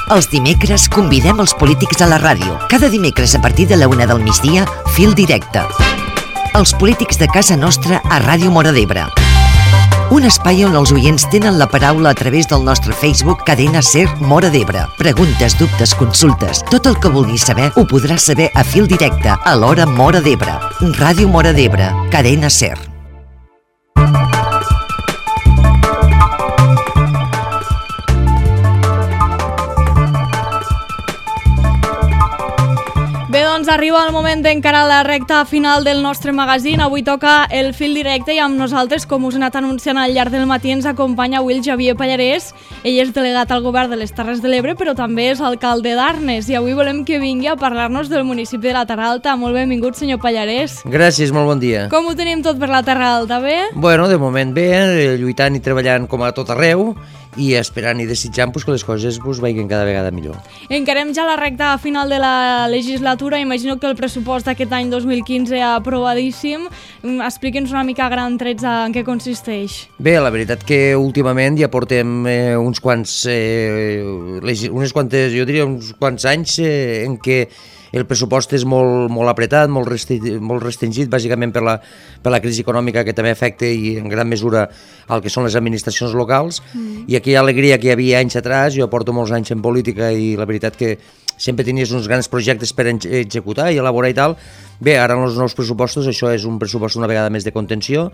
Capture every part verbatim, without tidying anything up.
Els dimecres convidem els polítics a la ràdio. Cada dimecres a partir de la una del migdia, Fil Directe. Els polítics de casa nostra a Ràdio Móra d'Ebre. Un espai on els oients tenen la paraula a través del nostre Facebook Cadena Ser Móra d'Ebre. Preguntes, dubtes, consultes, tot el que vulguis saber ho podràs saber a Fil Directe a l'hora Móra d'Ebre. Ràdio Móra d'Ebre, Cadena Ser. Bé, doncs arriba el moment d'encarar la recta final del nostre magazín. Avui toca el Fil Directe i amb nosaltres, com us he anat anunciant al llarg del matí, ens acompanya avui el Xavier Pallarès. Ell és delegat al govern de les Terres de l'Ebre, però també és alcalde d'Arnes. I avui volem que vingui a parlar-nos del municipi de la Terra Alta. Molt benvingut, senyor Pallarès. Gràcies, molt bon dia. Com ho tenim tot per la Terra Alta, bé? Bueno, de moment bé, lluitant i treballant com a tot arreu, i esperant i desitjant pues, que les coses pues, vagin cada vegada millor. Encarem ja la recta final de la legislatura. Imagino que el pressupost d'aquest any dos mil quinze aprovadíssim. Expliqui'ns una mica a grans trets en què consisteix. Bé, la veritat que últimament ja portem eh, uns quants, eh, unes quantes, jo diria uns quants anys eh, en què el pressupost és molt, molt apretat, molt, restri molt restringit, bàsicament per la, per la crisi econòmica que també afecta i en gran mesura el que són les administracions locals. Mm. I aquella alegria que hi havia anys atrás, jo porto molts anys en política i la veritat que sempre tenies uns grans projectes per executar i elaborar i tal. Bé, ara en els nous pressupostos això és un pressupost una vegada més de contenció.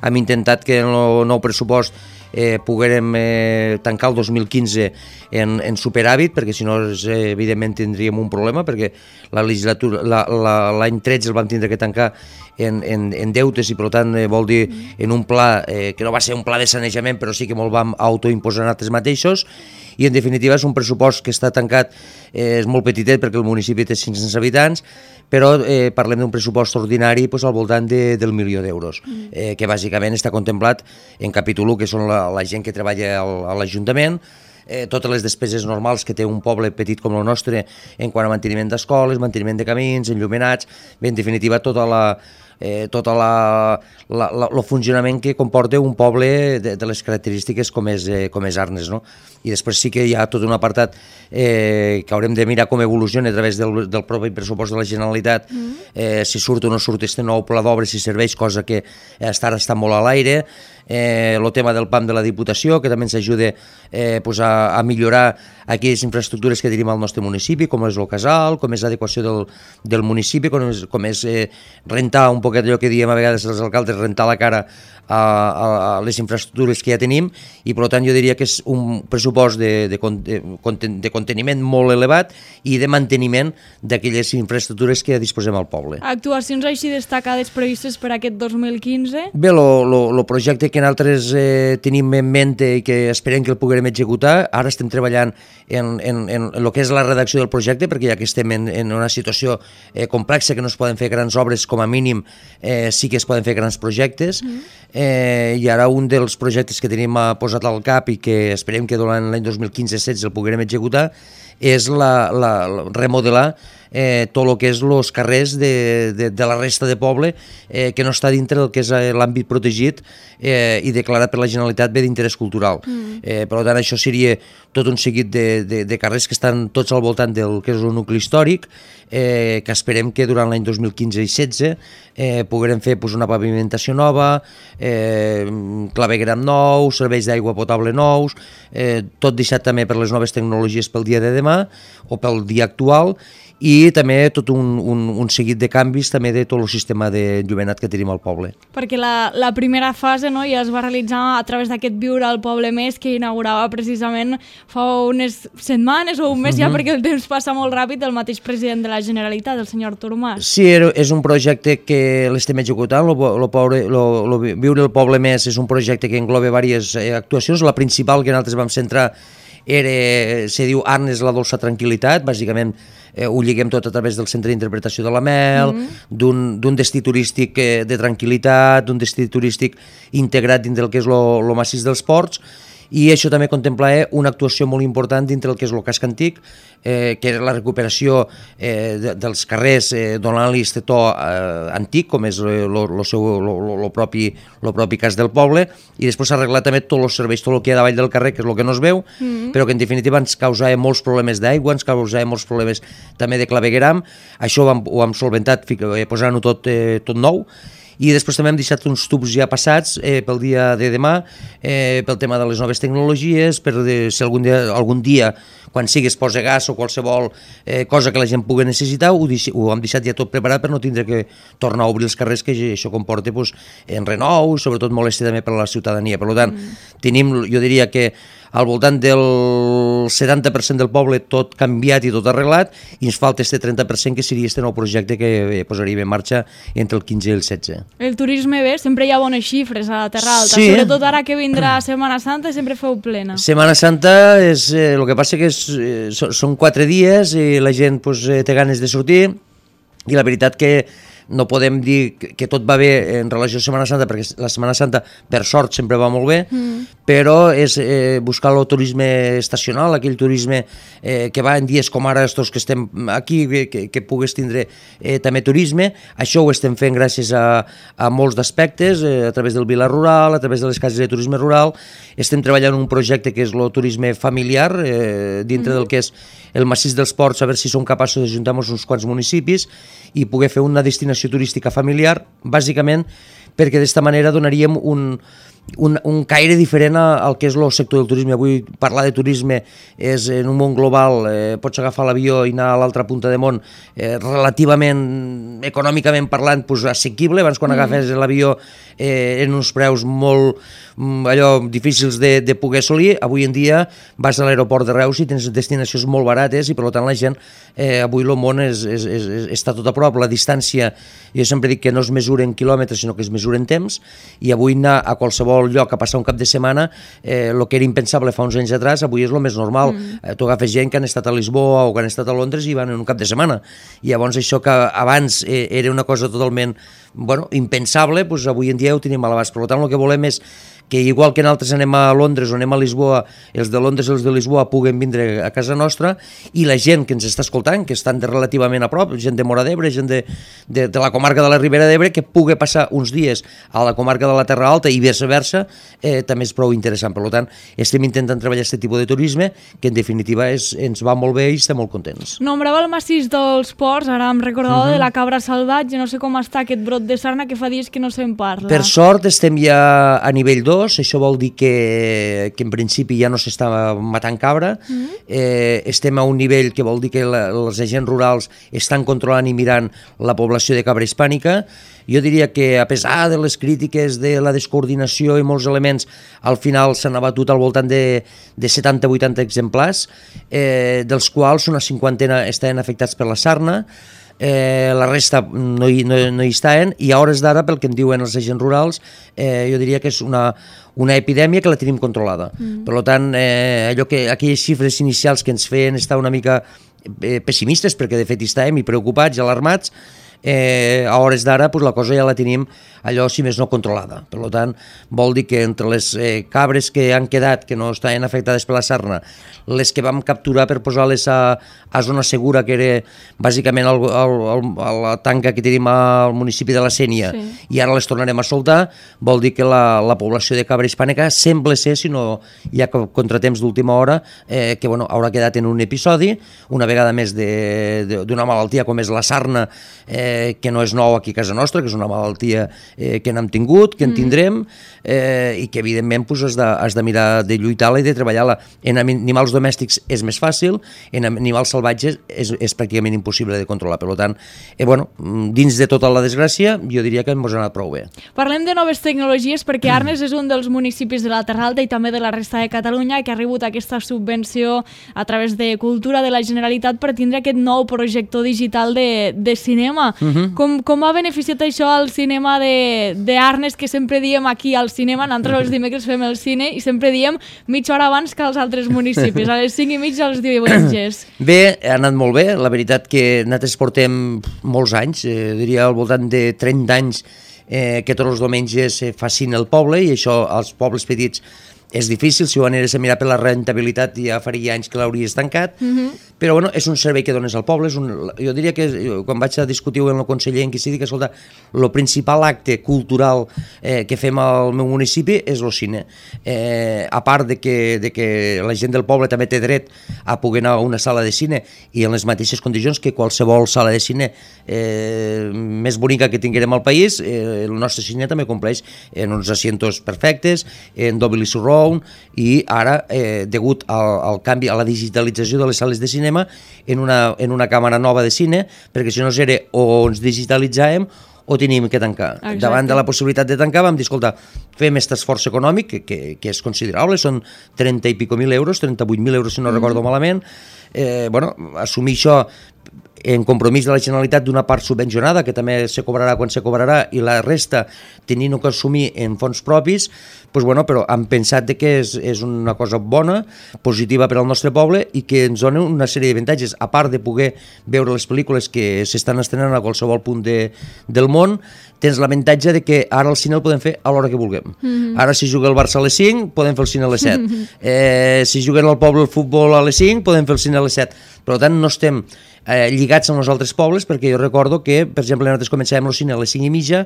Hem intentat que en el nou pressupost eh, poguérem eh, tancar el dos mil quinze en, en superàvit, perquè si no eh, evidentment tindríem un problema, perquè la legislatura l'any tretze el vam tindre que tancar en, en, en deutes i per tant eh, vol dir en un pla eh, que no va ser un pla de sanejament, però sí que molt vam autoimposar nosaltres mateixos. I en definitiva és un pressupost que està tancat, eh, és molt petitet perquè el municipi té cinc-cents habitants, però eh, parlem d'un pressupost ordinari pues, al voltant de, del milió d'euros, mm. eh, que bàsicament està contemplat en capítol u, que són la, la gent que treballa al, a l'Ajuntament, eh, totes les despeses normals que té un poble petit com el nostre en quant a manteniment d'escoles, manteniment de camins, enllumenats, bé, en definitiva tota la... Eh, tot el funcionament que comporta un poble de, de les característiques com és, eh, com és Arnes, no? I després sí que hi ha tot un apartat eh, que haurem de mirar com evoluciona a través del, del propi pressupost de la Generalitat, mm. eh, si surt o no surt este nou pla d'obres, si serveix, cosa que està, està molt a l'aire, eh, el tema del P A M de la Diputació, que també ens ajuda eh, pues a, a millorar aquelles infraestructures que tenim al nostre municipi, com és el casal, com és l'adequació del, del municipi, com és, com és eh, rentar un poquet allò que diem a vegades els alcaldes, rentar la cara a, a, a les infraestructures que ja tenim, i per tant jo diria que és un pressupost de, de, de, de conteniment molt elevat i de manteniment d'aquelles infraestructures que ja disposem al poble. Actuacions així destacades previstes per aquest dos mil quinze? Bé, el projecte que nosaltres eh, tenim en mente i que esperem que el puguem executar, ara estem treballant en, en, en el que és la redacció del projecte, perquè ja que estem en, en una situació eh, complexa, que no es poden fer grans obres, com a mínim eh, sí que es poden fer grans projectes, mm. eh, i ara un dels projectes que tenim posat al cap i que esperem que durant l'any dos mil quinze setze el puguem executar és la, la, la remodelar eh, tot el que és els carrers de, de, de la resta de poble eh, que no està dintre del que és l'àmbit protegit eh, i declarat per la Generalitat bé d'interès cultural. Mm. Eh, per tant, això seria tot un seguit de, de, de carrers que estan tots al voltant del que és el nucli històric, eh, que esperem que durant l'any dos mil quinze i setze eh, poguem fer pues, una pavimentació nova, eh, clavegueram nou, serveis d'aigua potable nous, eh, tot deixat també per les noves tecnologies pel dia de demà o pel dia actual, i també tot un, un, un seguit de canvis també de tot el sistema d'enllumenat que tenim al poble. Perquè la, la primera fase, no, ja es va realitzar a través d'aquest Viure al Poble Més que inaugurava precisament fa unes setmanes o un mes ja, uh-huh. perquè el temps passa molt ràpid, el mateix president de la Generalitat, el senyor Artur Mas. Sí, és un projecte que l'estem executant, lo, lo, pobre, lo, lo Viure al Poble Més és un projecte que engloba diverses eh, actuacions. La principal que nosaltres vam centrar era, se diu Arnes la dolça tranquil·litat, bàsicament eh, ho lliguem tot a través del centre d'interpretació de la Mel, mm-hmm. d'un destí turístic eh, de tranquil·litat, d'un destí turístic integrat dins del que és el massís dels Ports, i això també contemplava una actuació molt important dintre el que és el casc antic, eh, que és la recuperació eh, de, dels carrers, eh, donant-li este to eh, antic, com és el propi, propi cas del poble, i després s'ha arreglat també tots els serveis, tot el que hi ha davall del carrer, que és el que no es veu, mm-hmm. però que en definitiva ens causava molts problemes d'aigua, ens causava molts problemes també de clavegueram. Això ho hem, ho hem solventat posant-ho tot, eh, tot nou, i després també hem deixat uns tubs ja passats eh, pel dia de demà, eh, pel tema de les noves tecnologies, per de, si algun dia, algun dia quan sigui es posa gas o qualsevol eh, cosa que la gent pugui necessitar, ho, deix, ho hem deixat ja tot preparat per no tindre que tornar a obrir els carrers, que això comporta pues, en renou, sobretot molèstia també per a la ciutadania. Per tant, mm. tenim, jo diria que al voltant del setanta per cent del poble tot canviat i tot arreglat, i ens falta este trenta per cent que seria este nou projecte que posaríem en marxa entre el quinze i el setze. El turisme bé, sempre hi ha bones xifres a la Terra Alta, sí. Sobretot ara que vindrà Setmana Santa sempre feu plena. Setmana Santa és, eh, el que passa que és, eh, són quatre dies i la gent pues, té ganes de sortir, i la veritat que no podem dir que tot va bé en relació a Setmana Santa, perquè la Setmana Santa, per sort, sempre va molt bé, mm. però és eh, buscar el turisme estacional, aquell turisme eh, que va en dies com ara, estos que estem aquí, que, que pugues tindre eh, també turisme. Això ho estem fent gràcies a, a molts d'aspectes, eh, a través del Vila Rural, a través de les cases de turisme rural. Estem treballant un projecte que és el turisme familiar, eh, dintre mm. del que és el massís dels Ports, a veure si som capaços d'ajuntar-nos uns quants municipis i poder fer una destinació turística familiar, bàsicament perquè d'esta manera donaríem un, un, un caire diferent al que és el sector del turisme. Avui parlar de turisme és en un món global, eh, pots agafar l'avió i anar a l'altra punta de món eh, relativament, econòmicament parlant, pues, assequible. Abans quan mm. agafes l'avió eh, en uns preus molt allò difícils de, de poder assolir, avui en dia vas a l'aeroport de Reus i tens destinacions molt barates, i per tant la gent, eh, avui el món és, és, és, està tot a prop. La distància, jo sempre dic que no es mesura en quilòmetres, sinó que es mesura en temps, i avui anar a qualsevol lloc a passar un cap de setmana, eh, el que era impensable fa uns anys atrás, avui és el més normal. Mm. Eh, tu agafes gent que han estat a Lisboa o que han estat a Londres i van en un cap de setmana, i llavors això que abans eh, era una cosa totalment bueno, impensable, doncs avui en dia ho tenim a l'abast. Per tant, el que volem és que igual que nosaltres anem a Londres o anem a Lisboa, els de Londres i els de Lisboa puguen vindre a casa nostra, i la gent que ens està escoltant, que estan de relativament a prop, gent de Móra d'Ebre, gent de, de, de la comarca de la Ribera d'Ebre, que pugui passar uns dies a la comarca de la Terra Alta i viceversa, eh, també és prou interessant. Per tant, estem intentant treballar aquest tipus de turisme, que en definitiva és, ens va molt bé i estem molt contents. Nombrava el massís dels Ports, ara em recordava uh-huh. de la cabra salvatge, no sé com està aquest brot de sarna que fa dies que no se'n parla. Per sort estem ja a nivell dos, això vol dir que, que en principi ja no s'està matant cabra, mm-hmm. eh, estem a un nivell que vol dir que la, els agents rurals estan controlant i mirant la població de cabra hispànica. Jo diria que a pesar de les crítiques de la descoordinació i molts elements, al final s'han abatut al voltant de, de setanta a vuitanta exemplars, eh, dels quals una cinquantena estaven afectats per la sarna. Eh, la resta no hi, no, no hi estaven, i a hores d'ara, pel que em diuen els agents rurals, eh, jo diria que és una, una epidèmia que la tenim controlada. Mm. Per tant, eh, allò que, aquelles xifres inicials que ens feien estar una mica eh, pessimistes, perquè de fet hi estàvem i preocupats i alarmats, eh, a hores d'ara pues, la cosa ja la tenim allò, si més no, controlada. Per tant, vol dir que entre les eh, cabres que han quedat, que no estaven afectades per la sarna, les que vam capturar per posar-les a, a zona segura, que era bàsicament el, el, el, la tanca que tenim al municipi de la Sénia, sí. I ara les tornarem a soltar, vol dir que la, la població de cabra hispànica sembla ser, si no hi ha contratemps d'última hora, eh, que bueno, haurà quedat en un episodi, una vegada més d'una malaltia com és la sarna, eh, que no és nou aquí a casa nostra, que és una malaltia eh, que n'hem tingut, que en tindrem, eh, i que evidentment pues, has, de, has de mirar de lluitar-la i de treballar-la. En animals domèstics és més fàcil, en animals salvatges és, és pràcticament impossible de controlar. Per tant, eh, bueno, dins de tota la desgràcia, jo diria que ens ha anat prou bé. Parlem de noves tecnologies, perquè Arnes és un dels municipis de la Terra Alta i també de la resta de Catalunya que ha rebut aquesta subvenció a través de Cultura de la Generalitat per tindre aquest nou projector digital de, de cinema. Uh-huh. com, com ha beneficiat això al cinema d'Arnes, que sempre diem aquí al cinema, nosaltres els dimecres fem el cine i sempre diem mitja hora abans que als altres municipis, a les cinc i mitja els diumenges. Bé, ha anat molt bé, la veritat que nosaltres portem molts anys, eh, diria al voltant de trenta anys, eh, que tots els diumenges eh, fa cine al poble, i això als pobles petits és difícil, si ho anés a mirar per la rentabilitat ja faria anys que l'hauries tancat, mm-hmm. però bueno, és un servei que dones al poble, és un, jo diria que quan vaig a discutir amb el conseller en qui s'hi dic, escolta, el principal acte cultural eh, que fem al meu municipi és el cine. Eh, a part de que, de que la gent del poble també té dret a poder anar a una sala de cine i en les mateixes condicions que qualsevol sala de cine eh, més bonica que tinguem al país, eh, el nostre cine també compleix en uns asientos perfectes, en Dolby Surround, i ara, eh, degut al, al canvi, a la digitalització de les sales de cinema, en una, en una càmera nova de cine, perquè si no era o ens digitalitzàvem o teníem que tancar. Exacte. Davant de la possibilitat de tancar vam dir, escolta, fem aquest esforç econòmic, que, que, que és considerable, són trenta i pico mil euros, trenta-vuit mil euros si no mm. recordo malament, eh, bueno, assumir això en compromís de la Generalitat d'una part subvencionada, que també se cobrarà quan se cobrarà, i la resta tenint que assumir en fons propis, pues bueno, però hem pensat que és, és una cosa bona, positiva per al nostre poble i que ens dona una sèrie d'avantatges, a part de poder veure les pel·lícules que s'estan estrenant a qualsevol punt de, del món, tens l'avantatge de que ara el cine el podem fer a l'hora que vulguem. Mm-hmm. Ara si juga el Barça a les cinc, podem fer el cine a les set. Mm-hmm. Eh, si juguen al poble el futbol a les cinc, podem fer el cine a les set. Per tant, no estem eh, lligats amb els altres pobles, perquè jo recordo que, per exemple, nosaltres començàvem el cine a les cinc i mitja,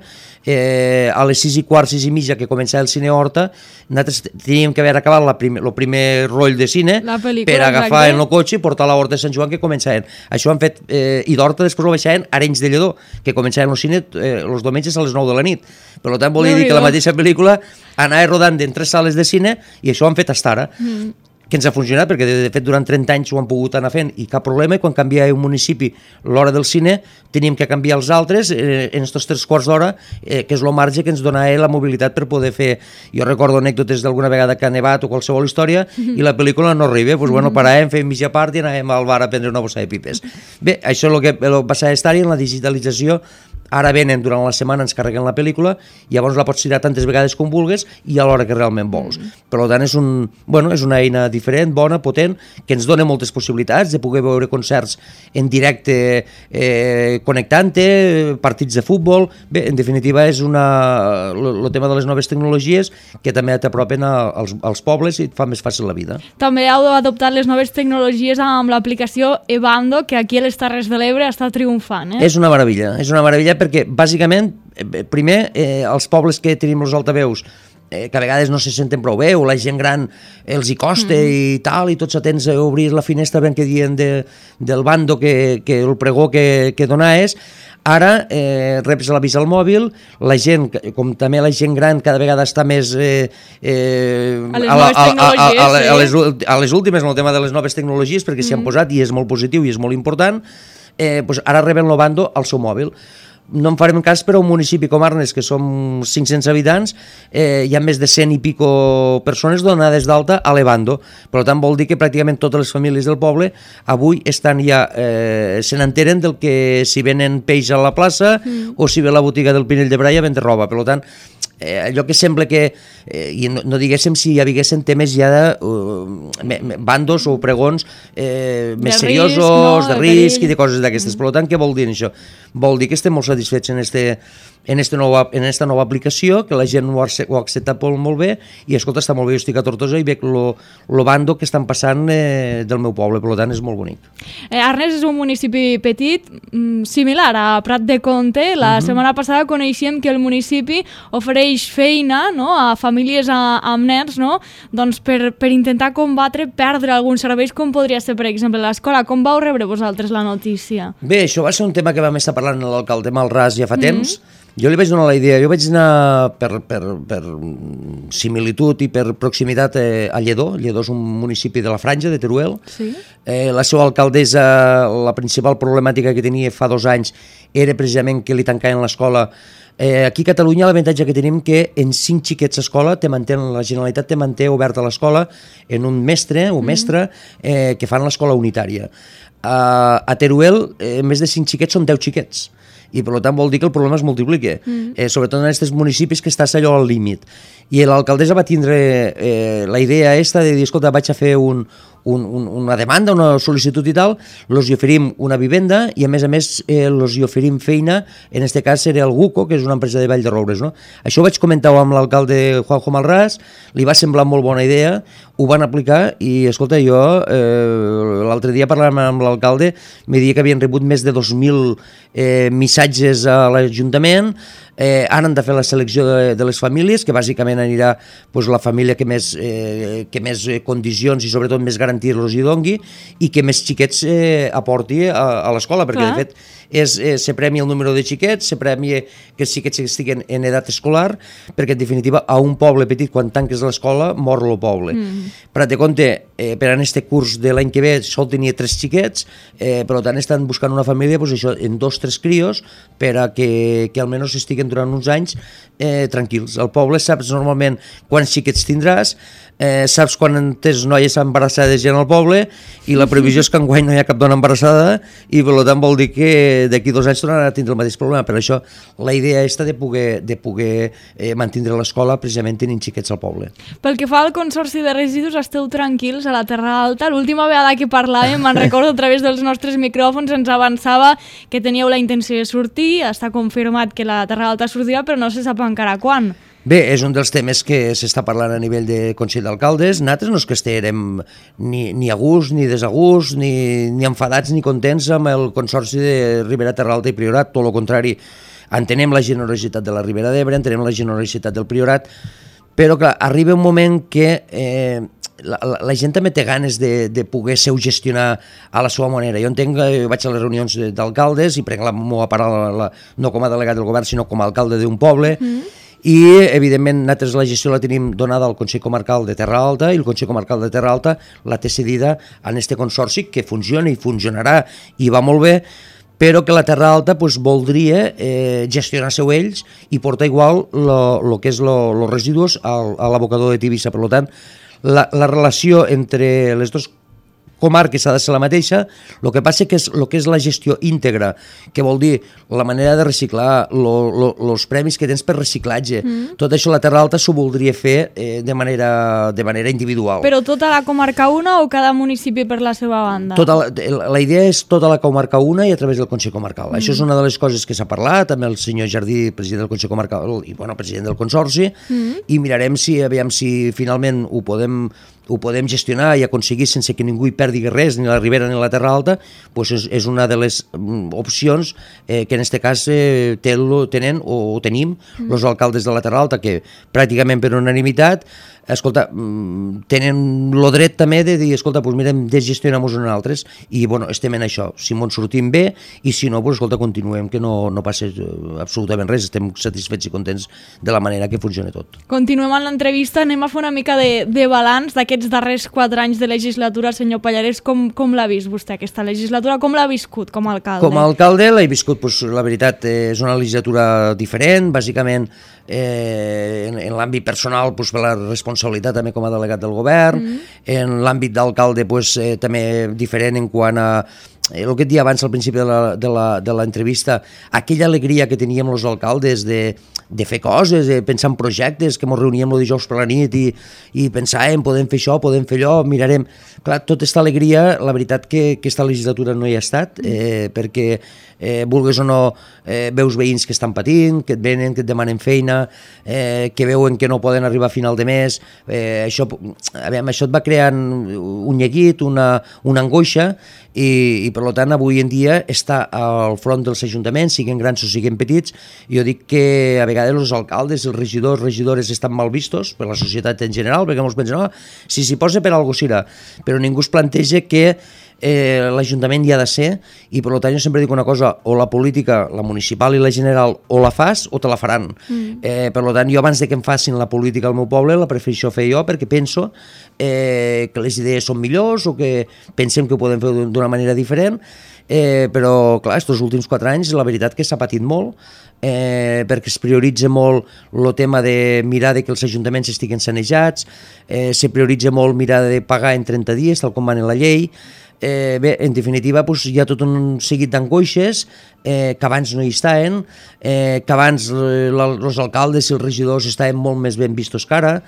eh, a les sis i quart, sis i mitja, que començava el cine Horta, nosaltres teníem que haver acabat el primer, primer roll de cine per agafar en el cotxe i portar a la Horta de Sant Joan, que començaven. Això han fet, eh, i d'Horta després ho baixaven a Arenys de Lledó, que començaven el cine eh, els diumenges a les nou de la nit. Per tant, volia dir que la mateixa pel·lícula anava rodant en tres sales de cine i això ho han fet fins ara. Mm. Que ens ha funcionat, perquè de fet durant trenta anys ho han pogut anar fent i cap problema, i quan canviava un municipi l'hora del cine teníem que canviar els altres eh, en aquests tres quarts d'hora, eh, que és el marge que ens donava la mobilitat per poder fer. Jo recordo anècdotes d'alguna vegada que ha nevat o qualsevol història mm-hmm. i la pel·lícula no arriba, doncs bueno, paràvem, fèiem mitja part i anàvem al bar a prendre una bossa de pipes. Bé, això és el que el passar estar-hi en la digitalització. Ara venen, durant la setmana ens carreguen la pel·lícula i llavors la pots tirar tantes vegades com vulguis i a l'hora que realment vols. Mm. Per tant, és, un, bueno, és una eina diferent, bona, potent, que ens dona moltes possibilitats de poder veure concerts en directe eh, connectant-te, partits de futbol. Bé, en definitiva, és una, el tema de les noves tecnologies que també t'apropen als, als pobles i et fa més fàcil la vida. També heu adoptat les noves tecnologies amb l'aplicació Evando, que aquí a les Terres de l'Ebre està triomfant. Eh? És una meravella, és una meravella perquè, bàsicament, primer, eh, els pobles que tenim els altaveus, eh, que a vegades no se senten prou bé, o la gent gran els hi costa mm. i tal, i tots atents a obrir la finestra ben que diuen de, del bando que, que el pregó que, que donaves. Ara eh, reps l'avís al mòbil, la gent, com també la gent gran cada vegada està més eh, eh, a, les a, la, a, a, a, a, a, les, a les últimes en el tema de les noves tecnologies, perquè s'hi han mm. posat i és molt positiu i és molt important. Eh, doncs ara reben l'Ovando al seu mòbil. No en farem cas per a un municipi com Arnes, que som cinc-cents habitants, eh, hi ha més de cent i pico persones donades d'alta a l'Evando. Per tant, vol dir que pràcticament totes les famílies del poble avui estan ja, eh, se n'enteren del que si venen peix a la plaça mm. o si ve la botiga del Pinell de Brai a vendre roba. Per tant, eh, allò que sembla que, eh, i no, no diguéssim si hi haguessin temes ja de uh, bandos o pregons eh, més de seriosos, risc, no? de risc i de coses d'aquestes. Mm. Per tant, què vol dir això? Vol dir que estem molt satisfets en este, en, este nova, en esta nova aplicació, que la gent ho ha, ho ha acceptat molt, molt bé, i escolta, està molt bé, jo estic a Tortosa i veig lo, lo bando que estan passant eh, del meu poble, per tant és molt bonic. Eh, Arnes és un municipi petit, similar a Prat de Comte. La uh-huh. setmana passada coneixíem que el municipi ofereix feina, no?, a famílies a, amb nens, no?, doncs per, per intentar combatre, perdre alguns serveis, com podria ser, per exemple, l'escola. Com vau rebre vosaltres la notícia? Bé, això va ser un tema que vam estar parlant amb l'alcalde Malràs ja fa temps. Mm-hmm. Jo li vaig donar la idea, jo vaig anar per, per, per similitud i per proximitat eh, a Lledó. Lledó és un municipi de la Franja, de Teruel. Sí. Eh, la seva alcaldessa, la principal problemàtica que tenia fa dos anys era precisament que li tancaven l'escola. Eh, aquí a Catalunya l'avantatge que tenim que en cinc xiquets a escola te manté, la Generalitat te manté oberta l'escola en un mestre o mestra eh, que fan l'escola unitària. Uh, a Teruel, eh, més de cinc xiquets són deu xiquets, i per tant vol dir que el problema es multiplica, mm. eh, sobretot en aquests municipis que estàs allò al límit. I l'alcaldessa va tindre eh, la idea esta de dir, escolta, vaig a fer un, un, un, una demanda, una sol·licitud i tal, els hi oferim una vivenda i a més a més eh, els hi oferim feina, en este cas seria el Guco, que és una empresa de Vall de Roures, no? Això ho vaig comentar amb l'alcalde Juanjo Malràs, li va semblar molt bona idea, ho van aplicar i, escolta, jo eh, l'altre dia parlant amb l'alcalde me deia que havien rebut més de dos mil eh, missatges a l'Ajuntament. Eh, ara han de fer la selecció de, de les famílies, que bàsicament anirà pues, la família que més, eh, que més condicions i sobretot més garanties els hi dongui i que més xiquets eh, aporti a, a l'escola, perquè Clar. de fet és, eh, se premia el número de xiquets, se premia que els xiquets estiguen en edat escolar, perquè en definitiva a un poble petit quan tanques l'escola mor el poble. Mm. Per de compte, eh, per en este curs de l'any que ve sol tenia tres xiquets, eh, per tant estan buscant una família pues, això, en dos tres crios per a que, que almenys estiguen durant uns anys eh, tranquils. Al poble saps normalment quants xiquets tindràs, eh, saps quan tens noies embarassades en el poble i la previsió és que enguany no hi ha cap dona embarassada i per tant vol dir que d'aquí dos anys tornarà a tindre el mateix problema. Per això la idea és de poder, de poder eh, mantenir l'escola precisament tenint xiquets al poble. Pel que fa al Consorci de Residus, esteu tranquils a la Terra Alta. L'última vegada que parlàvem, me'n recordo a través dels nostres micròfons, ens avançava que teníeu la intenció de sortir, està confirmat que la Terra Alta sortirà, però no se sap encara quan. Bé, és un dels temes que s'està parlant a nivell de Consell d'Alcaldes. Nosaltres no és que estiguem ni, ni a gust, ni desagust, ni, ni enfadats ni contents amb el Consorci de Ribera, Terra Alta i Priorat, tot el contrari. Entenem la generositat de la Ribera d'Ebre, entenem la generositat del Priorat, però clar, arriba un moment que eh, la, la, la gent també té ganes de, de poder gestionar a la seva manera. Jo entenc que vaig a les reunions d'alcaldes i prenc la meva paraula la, no com a delegat del govern, sinó com a alcalde d'un poble, mm. i evidentment nosaltres la gestió la tenim donada al Consell Comarcal de Terra Alta i el Consell Comarcal de Terra Alta la té cedida en este consorci que funciona i funcionarà i va molt bé, però que la Terra Alta pues, voldria eh, gestionar-se-ho ells i portar igual el que és els residus al, a l'abocador de Tivissa. Per tant, la, la relació entre les dues comarques ha de ser la mateixa, el que passa que és el que és la gestió íntegra, que vol dir la manera de reciclar, els premis que tens per reciclatge, mm. tot això la Terra Alta s'ho voldria fer eh, de, manera, de manera individual. Però tota la comarca una o cada municipi per la seva banda? Tota la, la idea és tota la comarca una i a través del Consell Comarcal. Mm. Això és una de les coses que s'ha parlat amb el senyor Jardí, president del Consell Comarcal i bueno, president del Consorci, mm. i mirarem si, aviam si finalment ho podem ho podem gestionar i aconseguir sense que ningú hi perdi res, ni la Ribera ni la Terra Alta, doncs és, és una de les opcions eh, que en aquest cas eh, tenen o tenim mm. els alcaldes de la Terra Alta, que pràcticament per unanimitat escolta, tenen el dret també de dir, escolta, doncs mirem, desgestionem-nos en altres, i bueno, estem en això. Si ens sortim bé, i si no, doncs escolta, continuem, que no, no passa absolutament res, estem satisfets i contents de la manera que funciona tot. Continuem amb l'entrevista, anem a fer una mica de, de balanç d'aquests darrers quatre anys de legislatura. Senyor Pallarès, com, com l'ha vist vostè aquesta legislatura? Com l'ha viscut com a alcalde? Com a alcalde l'he viscut, doncs, la veritat, eh, és una legislatura diferent, bàsicament eh, en, en l'àmbit personal doncs, per la responsabilitat també com a delegat del govern, mm. en l'àmbit d'alcalde doncs, eh, també diferent en quant a el que et dia abans al principi de l'entrevista, aquella alegria que teníem els alcaldes de, de fer coses, de pensar en projectes, que ens reuníem el dijous per la nit i, i pensàvem, podem fer això, podem fer allò, mirarem. Clar, tota aquesta alegria, la veritat que aquesta legislatura no hi ha estat, eh, perquè eh, vulguis o no, eh, veus veïns que estan patint, que et venen, que et demanen feina, eh, que veuen que no poden arribar a final de mes, eh, això, aviam, això et va creant un neguit, una, una angoixa, i, i per tant avui en dia està al front dels ajuntaments, siguin grans o siguin petits. Jo dic que a vegades els alcaldes, els regidors, regidores estan mal vistos per la societat en general, perquè molts pensen, no, si s'hi posa per alguna cosa serà, però ningú es planteja que eh, l'Ajuntament hi ha de ser, i per tant jo sempre dic una cosa, o la política, la municipal i la general, o la fas o te la faran. Mm. Eh, per tant jo abans de que em facin la política al meu poble la prefereixo fer jo, perquè penso eh, que les idees són millors o que pensem que ho podem fer d'una manera diferent, eh, però clar, aquests últims quatre anys la veritat que s'ha patit molt, eh, perquè es prioritza molt el tema de mirar de que els ajuntaments estiguen sanejats, eh, se prioritza molt mirar de pagar en trenta dies, tal com va en la llei. Eh, bé, en definitiva, doncs, hi ha tot un seguit d'angoixes eh, que abans no hi estaven, eh, que abans eh, els alcaldes i els regidors estaven molt més ben vistos que ara,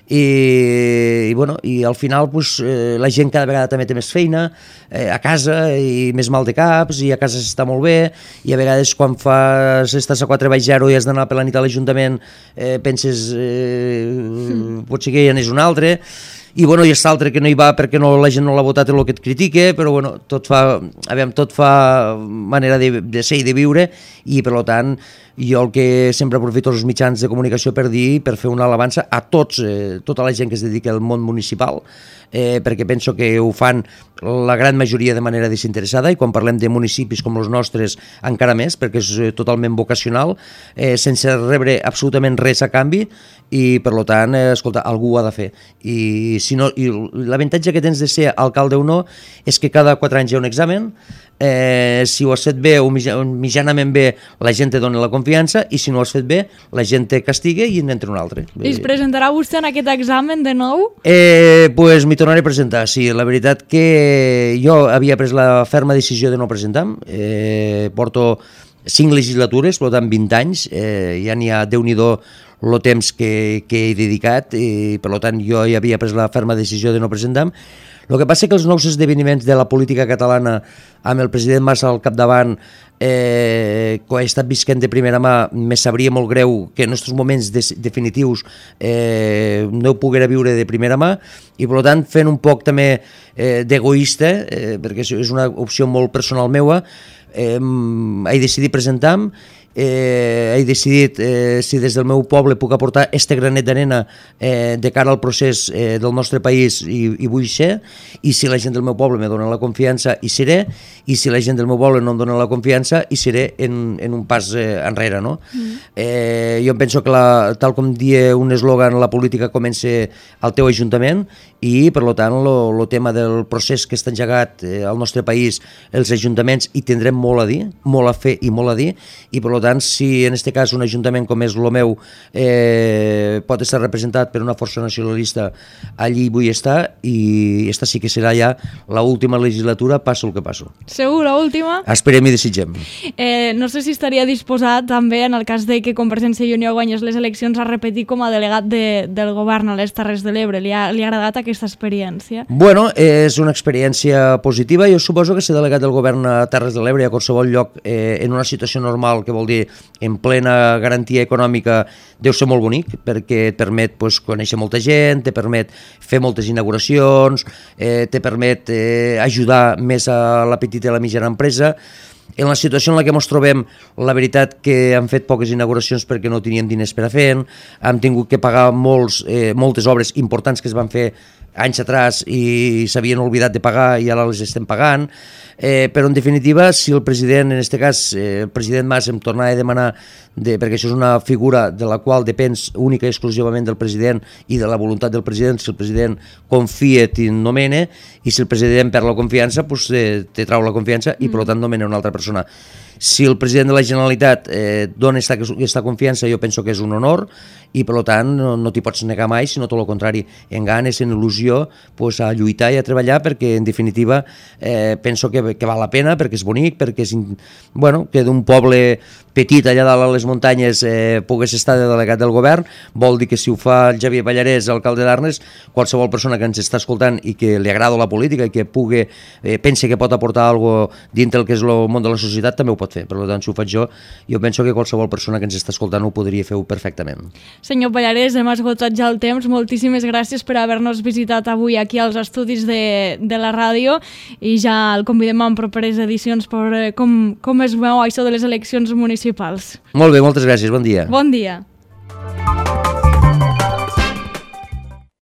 i, i, bueno, i al final pues, eh, la gent cada vegada també té més feina eh, a casa i més mal de caps i a casa s'està molt bé i a vegades quan fas, estàs a quatre baix zero i has d'anar per la nit a l'Ajuntament eh, penses eh, mm. potser que ja n'és un altre i bueno, i és l'altre que no hi va perquè no, la gent no l'ha votat el que et critique, però bueno, tot fa, aviam, tot fa manera de, de ser i de viure i per tant jo el que sempre aprofito els mitjans de comunicació per dir, per fer una alabança a tots, eh, tota la gent que es dedica al món municipal, eh, perquè penso que ho fan la gran majoria de manera desinteressada i quan parlem de municipis com els nostres encara més, perquè és totalment vocacional, eh, sense rebre absolutament res a canvi i per tant, eh, escolta, algú ho ha de fer i, si no, i l'avantatge que tens de ser alcalde o no és que cada quatre anys hi ha un examen, eh, si ho has fet bé o mitjanament bé la gent te dona la confiança i si no ho has fet bé la gent te castiga i n'entra un altre. I es presentarà vostè en aquest examen de nou? Eh, pues m'hi tornaré a presentar, sí, la veritat que jo havia pres la ferma decisió de no presentar, eh, porto cinc legislatures, per tant vint anys, eh, ja n'hi ha Déu-n'hi-do el temps que, que he dedicat i per tant jo ja havia pres la ferma decisió de no presentar. El que passa que els nous esdeveniments de la política catalana amb el president Mas al capdavant eh, que he estat visquent de primera mà, me sabria molt greu que en aquests moments de, definitius eh, no ho poguera viure de primera mà i per tant fent un poc també eh, d'egoista, eh, perquè és una opció molt personal meua, eh, he decidit presentar-me. Eh, he decidit eh, si des del meu poble puc aportar este granet d'arena eh, de cara al procés eh, del nostre país i, i vull ser, i si la gent del meu poble me dona la confiança hi seré, i si la gent del meu poble no em dona la confiança hi seré en, en un pas eh, enrere, no? Mm. Eh, jo penso que la, tal com dia un eslògan, la política comença al teu ajuntament i per tant el tema del procés que està engegat eh, al nostre país, els ajuntaments hi tindrem molt a dir, molt a fer i molt a dir, i per tant si en aquest cas un ajuntament com és el meu eh, pot estar representat per una força nacionalista, allí vull estar i esta sí que serà ja l'última legislatura, passo el que passo. Segur, l'última? Esperem i desitgem. Eh, no sé si estaria disposat també en el cas de que Convergència i Unió guanyés les eleccions a repetir com a delegat de, del govern a les Terres de l'Ebre. Li ha, li ha agradat aquesta experiència? Bueno, és una experiència positiva. Jo suposo que ser delegat del govern a Terres de l'Ebre a qualsevol lloc eh, en una situació normal, que vol dir en plena garantia econòmica, deu ser molt bonic perquè et permet pues, conèixer molta gent, te permet fer moltes inauguracions, eh, te permet eh, ajudar més a la petita i la mitjana empresa. En la situació en la que ens trobem, la veritat que hem fet poques inauguracions perquè no teníem diners per a fer, hem tingut que pagar molts, eh, moltes obres importants que es van fer anys atrás i s'havien oblidat de pagar i ara les estem pagant, eh, però en definitiva si el president, en aquest cas eh, el president Mas em tornava a demanar de, perquè això és una figura de la qual depens única i exclusivament del president i de la voluntat del president, si el president confia te'n nomena i si el president perd la confiança pues, eh, te trau la confiança i per tant nomena una altra persona. Si el president de la Generalitat eh, dona aquesta confiança, jo penso que és un honor i per tant no, no t'hi pots negar mai, sinó tot el contrari, en ganes, en il·lusió pues, a lluitar i a treballar perquè en definitiva eh, penso que, que val la pena, perquè és bonic, perquè és, bueno, que d'un poble petit allà dalt a les muntanyes eh, pogués estar de delegat del govern, vol dir que si ho fa el Xavier Pallarès, alcalde d'Arnes, qualsevol persona que ens està escoltant i que li agrada la política i que pugui, eh, pense que pot aportar alguna cosa dintre el que és el món de la societat, també ho pot fer. Per tant, si ho faig jo, jo penso que qualsevol persona que ens està escoltant ho podria fer perfectament. Senyor Pallarès, hem esgotat ja el temps. Moltíssimes gràcies per haver-nos visitat avui aquí als estudis de, de la ràdio i ja el convidem en properes edicions per com, com es veu això de les eleccions municipals. Molt bé, moltes gràcies. Bon dia. Bon dia.